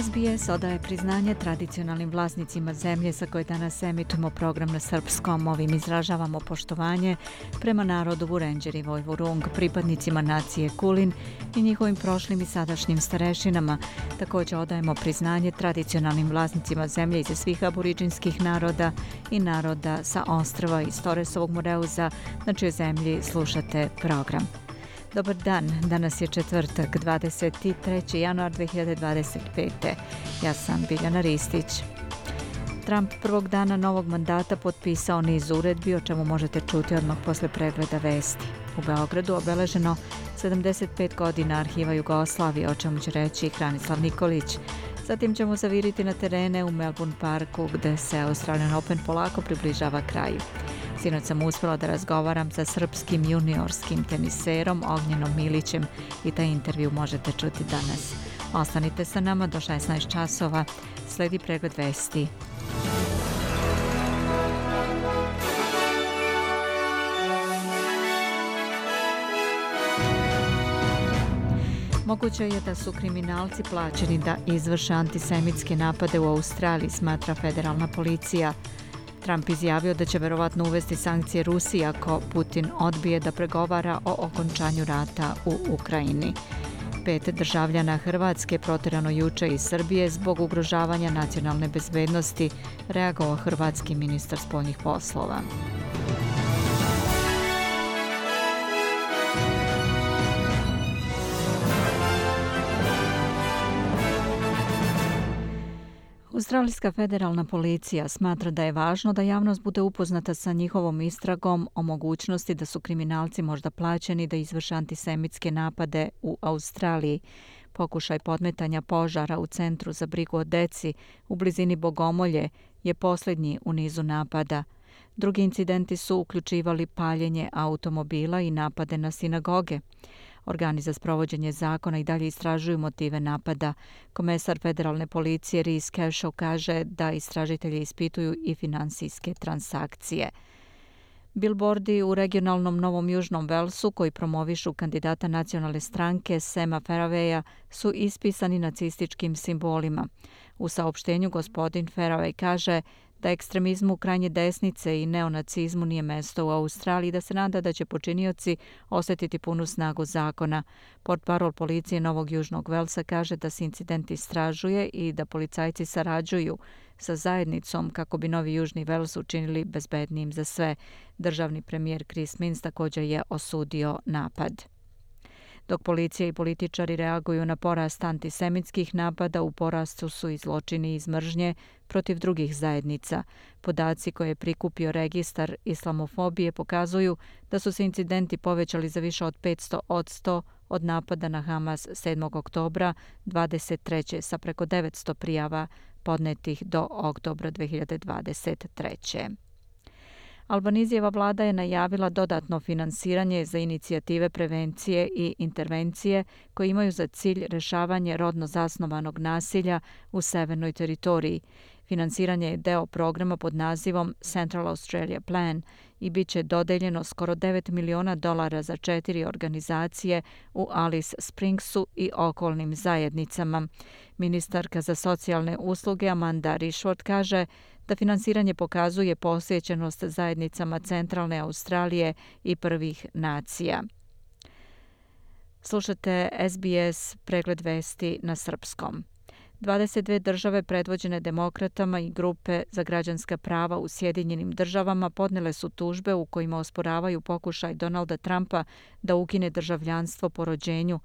SBS odaje priznanje tradicionalnim vlasnicima zemlje sa koje danas emitujemo program na srpskom. Ovim izražavamo poštovanje prema narodu Vurenđer i Vojvurung, pripadnicima nacije Kulin i njihovim prošlim i sadašnjim starešinama. Također odajemo priznanje tradicionalnim vlasnicima zemlje iz svih aboriđinskih naroda i naroda sa ostrva iz Toresovog Moreuza, na čijoj zemlji slušate program. Dobar dan, danas je četvrtak, 23. januar 2025. Ja sam Biljana Ristić. Trump prvog dana novog mandata potpisao niz uredbi, o čemu možete čuti odmah posle pregleda vesti. U Beogradu obeleženo 75 godina arhiva Jugoslavije, o čemu će reći Hranislav Nikolić. Zatim ćemo zaviriti na terene u Melbourne Parku, gde se Australian Open polako približava kraju. Sinoć sam uspjela da razgovaram sa srpskim juniorskim teniserom Ognjenom Milićem i taj intervju možete čuti danas. Ostanite sa nama do 16 časova. Sledi pregled vesti. Moguće je da su kriminalci plaćeni da izvrše antisemitske napade u Australiji, smatra federalna policija. Trump izjavio da će verovatno uvesti sankcije Rusiji ako Putin odbije da pregovara o okončanju rata u Ukrajini. 5 državljana Hrvatske proterano juče iz Srbije zbog ugrožavanja nacionalne bezbednosti, reagovao hrvatski ministar spoljnih poslova. Australijska federalna policija smatra da je važno da javnost bude upoznata sa njihovom istragom o mogućnosti da su kriminalci možda plaćeni da izvrše antisemitske napade u Australiji. Pokušaj podmetanja požara u centru za brigu o deci u blizini Bogomolje je posljednji u nizu napada. Drugi incidenti su uključivali paljenje automobila i napade na sinagoge. Organi za sprovođenje zakona i dalje istražuju motive napada. Komesar federalne policije Reese Kershaw kaže da istražitelji ispituju i finansijske transakcije. Bilbordi u regionalnom Novom Južnom Velsu, koji promovišu kandidata nacionalne stranke Sama Fairweya, su ispisani nacističkim simbolima. U saopštenju gospodin Fairway kaže da ekstremizmu krajnje desnice i neonacizmu nije mesto u Australiji, da se nada da će počinioci osjetiti punu snagu zakona. Portparol policije Novog Južnog Velsa kaže da se incident istražuje i da policajci sarađuju sa zajednicom kako bi Novi Južni Vels učinili bezbednijim za sve. Državni premijer Chris Minns također je osudio napad. Dok policija i političari reaguju na porast antisemitskih napada, u porastu su i zločini iz mržnje protiv drugih zajednica. Podaci koje je prikupio registar islamofobije pokazuju da su se incidenti povećali za više od 500% od napada na Hamas 7. oktobra 23. sa preko 900 prijava podnetih do oktobra 2023. Albanizijeva vlada je najavila dodatno finansiranje za inicijative prevencije i intervencije koje imaju za cilj rješavanje rodno zasnovanog nasilja u severnoj teritoriji. Finansiranje je deo programa pod nazivom Central Australia Plan i bit će dodeljeno skoro $9 miliona za 4 organizacije u Alice Springsu i okolnim zajednicama. Ministarka za socijalne usluge Amanda Rishworth kaže da finansiranje pokazuje posvećenost zajednicama centralne Australije i prvih nacija. Slušate SBS pregled vesti na srpskom. 22 države predvođene demokratama i grupe za građanska prava u Sjedinjenim državama podnele su tužbe u kojima osporavaju pokušaj Donalda Trumpa da ukine državljanstvo po rođenju.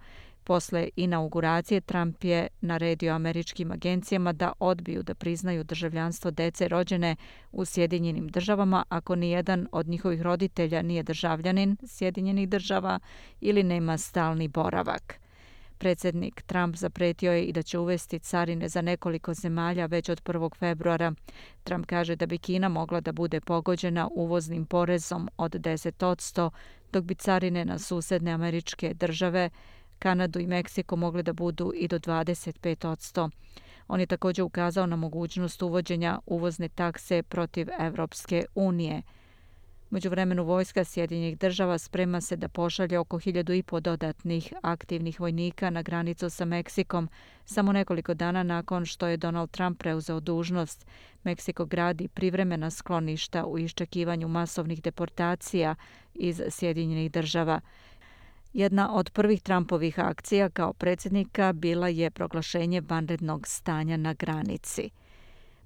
Posle inauguracije Trump je naredio američkim agencijama da odbiju da priznaju državljanstvo dece rođene u Sjedinjenim državama ako nijedan od njihovih roditelja nije državljanin Sjedinjenih država ili nema stalni boravak. Predsjednik Trump zapretio je i da će uvesti carine za nekoliko zemalja već od 1. februara. Trump kaže da bi Kina mogla da bude pogođena uvoznim porezom od 10%, dok bi carine na susedne američke države, Kanadu i Meksiko mogle da budu i do 25%. On je također ukazao na mogućnost uvođenja uvozne takse protiv Evropske unije. U međuvremenu vojska Sjedinjenih država sprema se da pošalje oko 1.500 dodatnih aktivnih vojnika na granicu sa Meksikom. Samo nekoliko dana nakon što je Donald Trump preuzeo dužnost, Meksiko gradi privremena skloništa u iščekivanju masovnih deportacija iz Sjedinjenih država. Jedna od prvih Trumpovih akcija kao predsjednika bila je proglašenje vanrednog stanja na granici.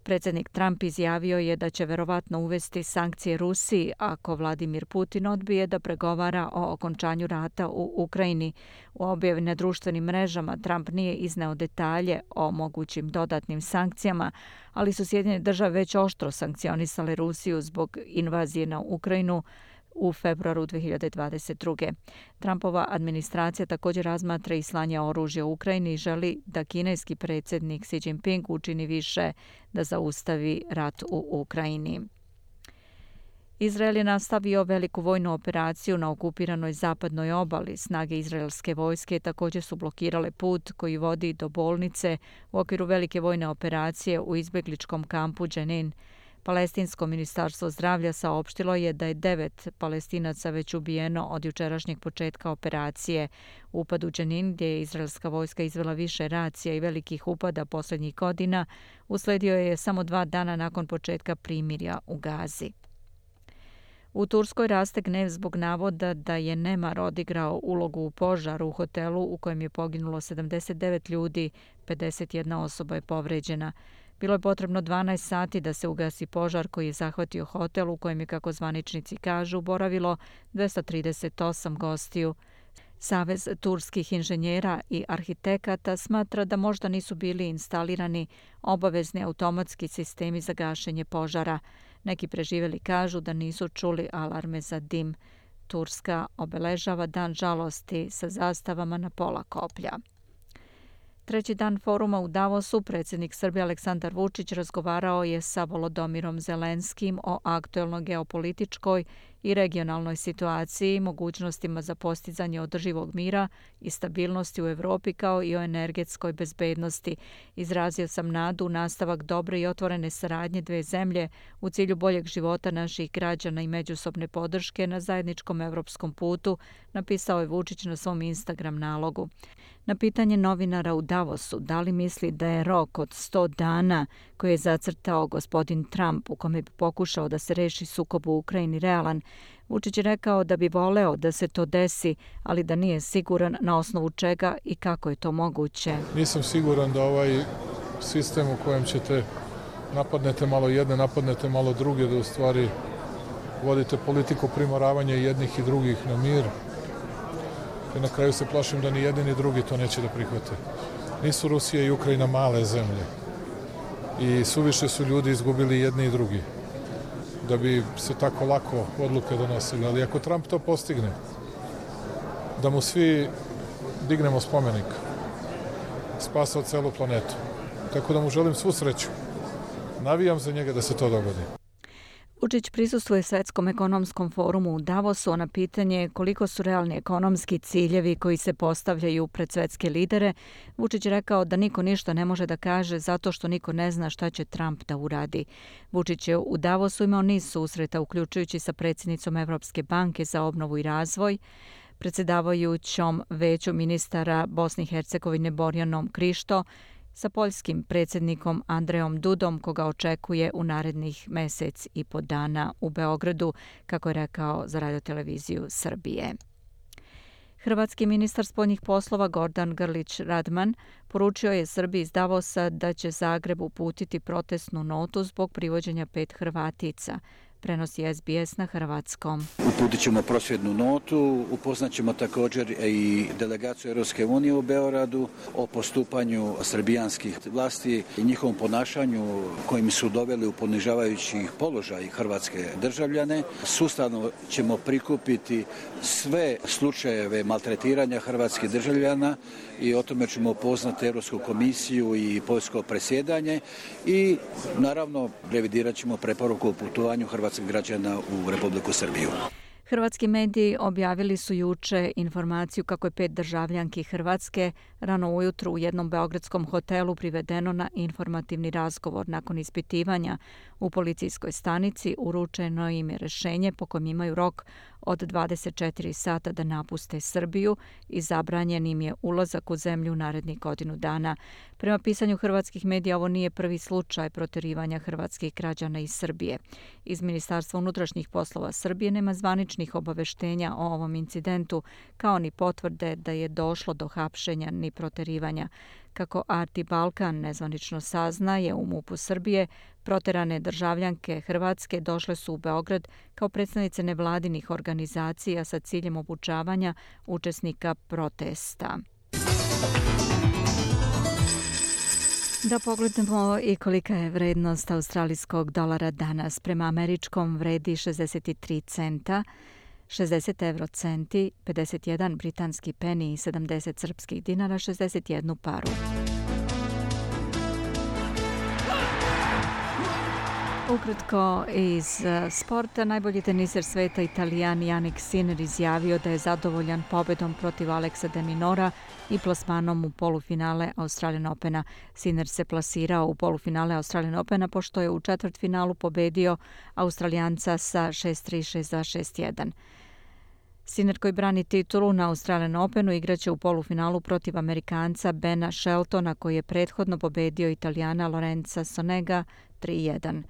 Predsjednik Trump izjavio je da će verovatno uvesti sankcije Rusiji ako Vladimir Putin odbije da pregovara o okončanju rata u Ukrajini. U objavi na društvenim mrežama Trump nije izneo detalje o mogućim dodatnim sankcijama, ali su Sjedinjene države već oštro sankcionisale Rusiju zbog invazije na Ukrajinu u februaru 2022. Trumpova administracija također razmatra i slanje oružja u Ukrajini i želi da kineski predsjednik Xi Jinping učini više da zaustavi rat u Ukrajini. Izrael je nastavio veliku vojnu operaciju na okupiranoj zapadnoj obali. Snage izraelske vojske također su blokirale put koji vodi do bolnice u okviru velike vojne operacije u izbjegličkom kampu Dženin. Palestinsko ministarstvo zdravlja saopštilo je da je 9 Palestinaca već ubijeno od jučerašnjeg početka operacije. Upad u Dženin, gdje je izraelska vojska izvela više racija i velikih upada posljednjih godina, usledio je samo 2 dana nakon početka primirja u Gazi. U Turskoj raste gnev zbog navoda da je nemar odigrao ulogu u požaru u hotelu u kojem je poginulo 79 ljudi, 51 osoba je povređena. Bilo je potrebno 12 sati da se ugasi požar koji je zahvatio hotel u kojem je, kako zvaničnici kažu, boravilo 238 gostiju. Savez turskih inženjera i arhitekata smatra da možda nisu bili instalirani obavezni automatski sistemi za gašenje požara. Neki preživjeli kažu da nisu čuli alarme za dim. Turska obeležava dan žalosti sa zastavama na pola koplja. Treći dan foruma u Davosu predsjednik Srbije Aleksandar Vučić razgovarao je sa Volodomirom Zelenskim o aktuelnoj geopolitičkoj i regionalnoj situaciji, mogućnostima za postizanje održivog mira i stabilnosti u Europi kao i o energetskoj bezbednosti. Izrazio sam nadu u nastavak dobre i otvorene saradnje dve zemlje u cilju boljeg života naših građana i međusobne podrške na zajedničkom europskom putu, napisao je Vučić na svom Instagram nalogu. Na pitanje novinara u Davosu da li misli da je rok od 100 dana koji je zacrtao gospodin Trump u kome bi pokušao da se reši sukob u Ukrajini realan, Vučić je rekao da bi voleo da se to desi, ali da nije siguran na osnovu čega i kako je to moguće. Nisam siguran da ovaj sistem u kojem ćete napadnete malo jedne, napadnete malo druge, da u stvari vodite politiku primoravanja jednih i drugih na mir. I na kraju se plašim da ni jedni ni drugi to neće da prihvate. Nisu Rusija i Ukrajina male zemlje i suviše su ljudi izgubili jedni i drugi da bi se tako lako odluke donosili. Ali ako Trump to postigne, da mu svi dignemo spomenik, spasao celu planetu. Tako da mu želim svu sreću. Navijam za njega da se to dogodi. Vučić prisustvuje Svetskom ekonomskom forumu u Davosu, a na pitanje koliko su realni ekonomski ciljevi koji se postavljaju pred svetske lidere, Vučić rekao da niko ništa ne može da kaže zato što niko ne zna šta će Trump da uradi. Vučić je u Davosu imao niz susreta, uključujući sa predsjednicom Evropske banke za obnovu i razvoj, predsjedavajućom veću ministara Bosne i Hercegovine Borjanom Krišto, sa poljskim predsjednikom Andrejom Dudom, koga očekuje u narednih mesec i po dana u Beogradu, kako je rekao za radioteleviziju Srbije. Hrvatski ministar spoljnih poslova Gordan Grlić Radman poručio je Srbiji iz Davosa da će Zagreb uputiti protestnu notu zbog privođenja 5 Hrvatica. Prenosi SBS na hrvatskom. Uputit ćemo prosvjednu notu, upoznaćemo također i delegaciju Europske unije u Beogradu o postupanju srbijanskih vlasti i njihovom ponašanju kojim su doveli u ponižavajući položaj hrvatske državljane. Sustavno ćemo prikupiti sve slučajeve maltretiranja hrvatskih državljana i o tome ćemo upoznati Europsku komisiju i poljsko predsjedanje i naravno revidirat ćemo preporuku o putovanju hrvatskih građana u Republiku Srbiju. Hrvatski mediji objavili su juče informaciju kako je 5 državljanki Hrvatske rano ujutru u jednom beogradskom hotelu privedeno na informativni razgovor. Nakon ispitivanja u policijskoj stanici uručeno im je rješenje po kojem imaju rok od 24 sata da napuste Srbiju i zabranjen im je ulazak u zemlju narednih godinu dana. Prema pisanju hrvatskih medija, ovo nije prvi slučaj protjerivanja hrvatskih građana iz Srbije. Iz Ministarstva unutrašnjih poslova Srbije nema zvaničnih obaveštenja o ovom incidentu, kao ni potvrde da je došlo do hapšenja ni protjerivanja. Kako Arti Balkan nezvanično saznaje, u MUP-u Srbije proterane državljanke Hrvatske došle su u Beograd kao predstavnice nevladinih organizacija sa ciljem obučavanja učesnika protesta. Da pogledamo i kolika je vrednost australijskog dolara danas. Prema američkom vredi 63 centa, 60 eurocenti, 51 britanski peni i 70 srpskih dinara, 61 paru. Ukratko iz sporta, najbolji teniser sveta Italijan Jannik Sinner izjavio da je zadovoljan pobedom protiv Alexa de Minora i plasmanom u polufinale Australian Opena. Sinner se plasirao u polufinale Australian Opena pošto je u četvrtfinalu pobedio Australijanca sa 6-3, 6-2, 6-1. Sinner, koji brani titulu na Australian Openu, igraće u polufinalu protiv Amerikanca Bena Sheltona, koji je prethodno pobedio Italijana Lorenza Sonega 3-1.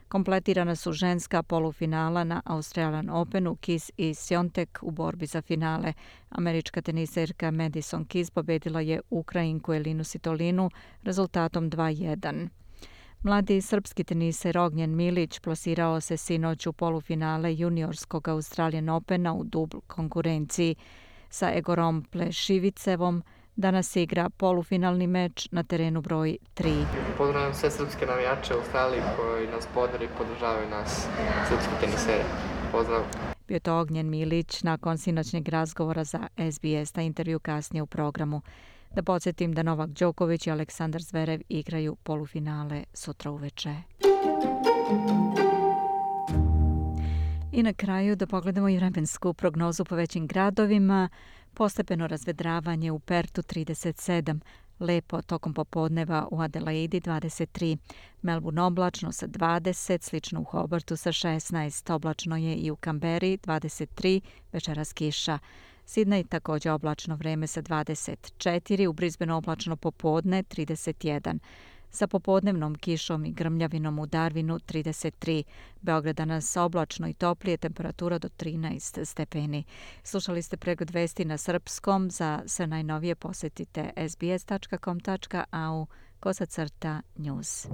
Kompletirana su ženska polufinala na Australian Openu, Keys i Swiatek u borbi za finale. Američka teniserka Madison Keys pobedila je Ukrajinku Elinu Svitolinu rezultatom 2-1. Mladi srpski teniser Ognjen Milić plasirao se sinoć u polufinale juniorskog Australian Opena u dubl konkurenciji sa Egorom Plešivicevom. Danas igra polufinalni meč na terenu broj 3. Pozdravljam sve srpske navijače u Australiji koji nas podržavaju i podržavaju nas, srpski tenisere. Pozdrav! Bio to Ognjen Milić nakon sinoćnjeg razgovora za SBS, na intervju kasnije u programu. Da podsjetim da Novak Đoković i Aleksandar Zverev igraju polufinale sutra uveče. I na kraju da pogledamo i vremensku prognozu po većim gradovima. Postepeno razvedravanje u Pertu 37, lepo tokom popodneva u Adelaidi 23, Melbourne oblačno sa 20, slično u Hobartu sa 16, oblačno je i u Kamberi 23, večeras kiša. Sidney također oblačno vreme sa 24, u Brisbaneu oblačno popodne 31. Sa popodnevnom kišom i grmljavinom u Darwinu 33. Beograd danas oblačno i toplije, temperatura do 13 stepeni. Slušali ste pregled vesti na srpskom. Za sve najnovije posjetite sbs.com.au/news.